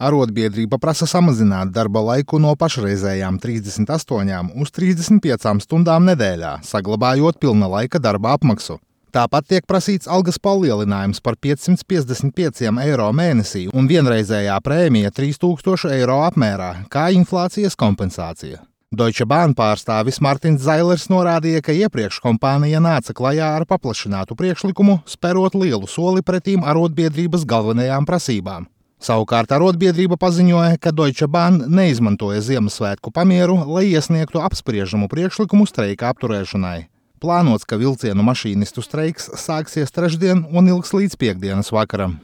Arotbiedrība prasa samazināt darba laiku no pašreizējām 38 uz 35 stundām nedēļā, saglabājot pilna laika darba apmaksu. Tāpat tiek prasīts algas palielinājums par 555 eiro mēnesī un vienreizējā prēmija 3000 eiro apmērā, kā inflācijas kompensācija. Deutsche Bahn pārstāvis Martins Zailers norādīja, ka iepriekš kompānija nāca klajā ar paplašinātu priekšlikumu, sperot lielu soli pretīm arotbiedrības galvenajām prasībām. Savukārt arotbiedrība paziņoja, ka Deutsche Bahn neizmantoja Ziemassvētku pamieru, lai iesniegtu apspriežamu priekšlikumu streika apturēšanai. Plānots, ka vilcienu mašīnistu streiks sāksies trešdien un ilgs līdz piektdienas vakaram.